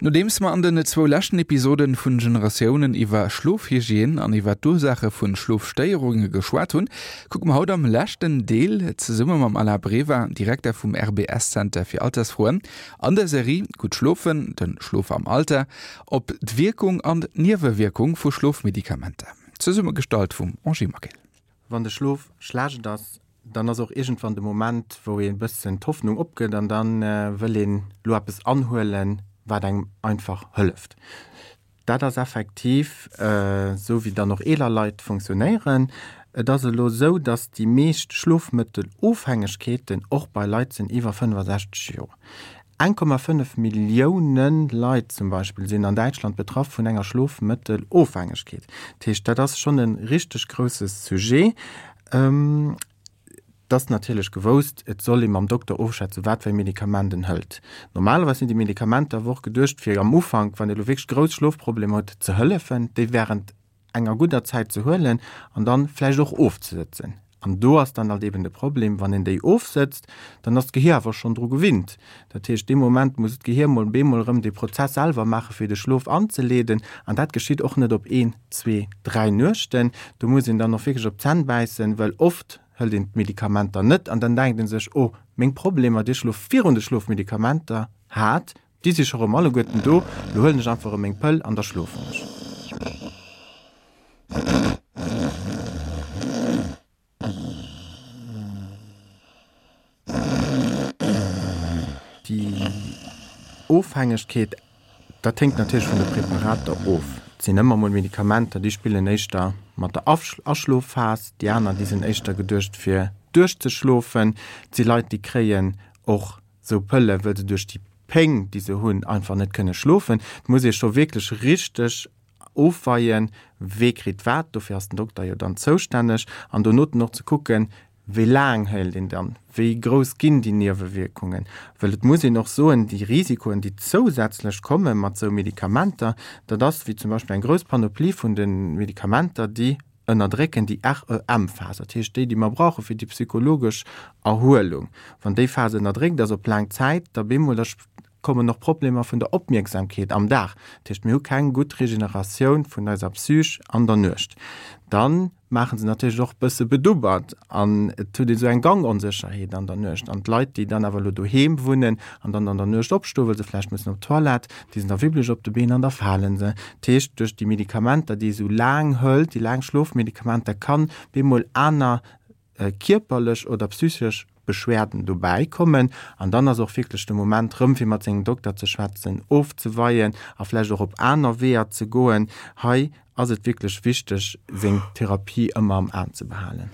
Nodeems mer an den zwou leschten Episoden vun Generatiounen iwwer Schlofhygiène an iwwer d'Ursaache vun Schlofstéierunge geschwat hunn, kucke mer haut am leschten Deel zesumme mam Alain Brever, Direkter vum RBS Center fir Altersfroen, an der Serie Gutt schlofen, den Schlof am Alter, op d'Wierkung an d'Niewewierkung vu Schlofmedikamenter. Zesummegestallt vum Angie Maquil. Wann de Schlof schlecht ass, dann ass och iergendwann de Moment, wou ee bëssen d'Hoffnung opgëtt an da wëll een elo eppes anhuelen, wat engem einfach hëlleft. Dat ass effektiv esou, wéi dann och eeler Leit funktionéieren. Et ass elo esou, datt déi meescht Schlofmëttelofhängegkeeten och bei Leit sinn iwwer 65 Joer. 1,5 Millioune Leit zum Beispill sinn an Däitschland betraff vun enger Schlofmëttelofhängegkeet. Dat heescht, dat ass schonn e richteg grousse Sujet. Et ass natierlech gewousst, et soll ee mam Dokter ofschätzen, wat fir e Medikament en hëlt. Normalerweis sinn déi Medikamenter awer och geduecht, fir am Ufank, wann ee lo wierklech grouss Schlofproblemer huet, ze hëllefen, déi wärend enger gudder Zäit ze huelen an dann vläicht och ofzesëtzen. An do ass dann alt eben de Problem, wann een déi ofsëtzt, dann ass d'Gehier awer schonn dru gewinnt. Dat heescht, dee Moment muss d'Gehier mol bemol erëm dee Prozess selwer maache fir de Schlof anzeleeden. An dat geschitt och net op een, zwee, dräi Nuechten. Do muss een dann och wierklech op d'Zänn bäissen, well oft hëlt een d'Medikamenter net an dann denkt ee sech, oh, meng Problemer, déi ech elo virun de Schlofmedikamenter hat, Déi si scho rëm alleguerten do, lo huelen ech einfach erëm meng Pëll an da schlofen ech. Déi Ofhängegkeet, dat héngt natierlech vun de Präparater of. Et sinn ëmmer mol Medikamenter, déi spillen éischter mat der Aschlofphas, déi aner, déi sinn éischter geduecht fir duerchzeschlofen. Et si Leit, déi kréien och sou Pëlle wëll se duerch déi Péng déi se hunn einfach net kënne schlofen. Et muss ee scho wierklech richteg ofweien, wee kritt wat, dofir ass den Dokter jo dann zoustänneg, an donoten och ze kucken, wéi laang hëlt een dann, wéi grouss ginn déi Niewewierkungen, well et muss een och soen, déi Risikoen déi zousätzlech komme mat sou Medikamenter, dat ass wéi zum Beispill eng grouss Panoplie vun de Medikamenter, déi ënnerdrécken déi REM-Phas, dat heescht déi, déi mer brauche fir déi psychologesch Erhuelung. Wann déi Phas ënnerdréckt ass op laang Zäit, da bemol, da kommen och Problemer vun der Opmierksamkeet am Dag. Dat heescht, mir hu keng gutt Regeneratioun vun eiser Psych an der Nuecht. Dann maache se natierlech och bësse bedubbert an et huet ee sou eng Gangonsécherheet an der Nuecht. An d'Leit, déi dann awer elo doheem wunnen an dann an der Nuecht opstoen, well se vläicht mussen op d'Toilette, Déi sinn da wierklech op de Been an da fale se. Dat heescht, duerch déi Medikamenter, déi ee sou laang hëlt, déi laang Schlofmedikamenter, kann bemol aner kierperlech oder psychesch Beschwerden dobäi kommen. An dann ass och wierklech de Moment rëm, fir mat sengem Dokter ze schwätzen, ofzeweien a vläicht och op aner Weeër ze goen. Hei ass et wierklech wichteg, seng Therapie ëmmer am Aen ze behalen.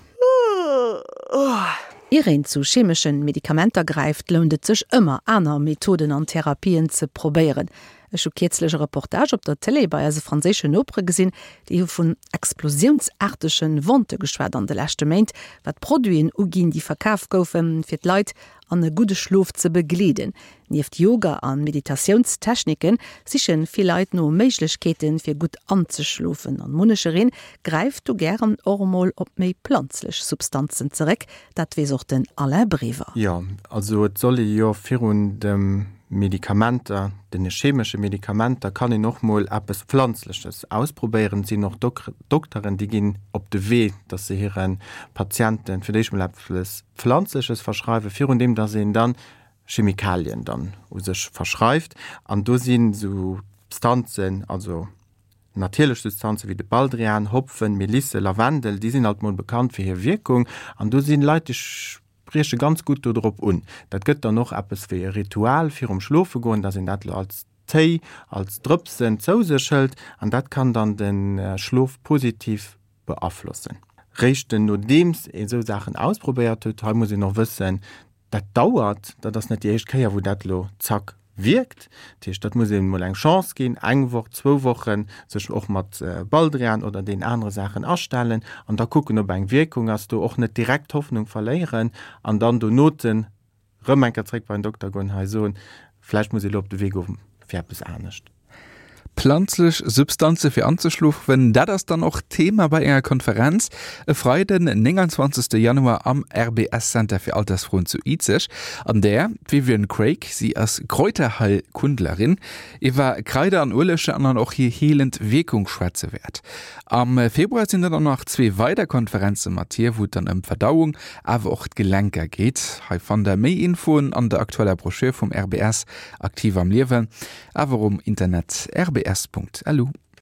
Ier een zu chemeschen Medikamenter gräift, lount et sech ëmmer, aner Methoden an Therapien ze probéieren. Ech hu kierzlech e Reportage op der Télé bei eise franséischen Nopere gesinn, déi hu vun explosiounsaartege Vente geschwat an de leschte Méint, wat Produiten uginn, déi verkaf goufen, fir d'Leit an e gudde Schlof ze begleeden. Nieft Yoga a Meditatiounstechnike siche vill Leit no Méiglechkeeten, fir gutt anzeschlofen. An munnechereen gräift do gären och emol op méi planzlech Substanzen zeréck. Dat weess och den Alain Brever. Jo, also et soll ee jo virun de Medikamenter, den chemesche Medikamenter, kann een och mol eppes Pflanzleches ausprobéieren. Et sinn och Dokteren, déi ginn op de Wee, datt se hire Patienten fir d'éischt mol eppes Pflanzleches verschreiwen, virun deem datt een dann Chemikalien dann u sech verschreift. An do sinn esou Substanzen, also natierlech Substanzen wéi de Baldrian, Hopfen, Melisse, Lavendel, déi sinn alt mol bekannt fir hir Wierkung. An do sinn Leit, déi sprieche ganz gutt do drop un. Dat gëtt dann och eppes wéi e Ritual virum Schlofegoen, dass een dat elo als Téi, als Drëpsen zou sech hëlt an dat kann dann de Schlof positiv beaflossen. Réischt nodeems ee sou Saachen ausprobéiert huet, hei muss een och wëssen, dat dauert, dat ass net déi éischt Kéier wou dat elo zack wierkt, dat heescht dat muss een emol eng Chance ginn, eng Woch, zwou Wochen, sech och mat Baldrian oder deenen anere Saachen astellen an da kucken ob eng Wierkung ass, do och net direkt d'Hoffnung verléieren an dann donoten rëm eng Kéier zréck bei den Dokter goen, hei soen, vläicht muss ee elo op de Wee goen fir eppes anescht. Planzlech Substanze fir anzeschlofen, dat ass dann och Thema bei enger Konferenz e Freiden, 29 Januar am RBS Center fir Altersfroen zu Izeg, an där d'Vivian Craig, si ass Kräuterheilkundlerin, iwwer Kraider an Ueleger an dann och hir heelend Wierkung schwätze wäert. Am Februar sinn dann och nach zwee weider Konferenze mat hir, wou et dann ëm d'Verdauung, awer och d'Gelenker geet. Hei fannt der méi Infoen an der aktueller Broschür vum RBS Aktiv am Liewen, awer um Internet rbs.lu.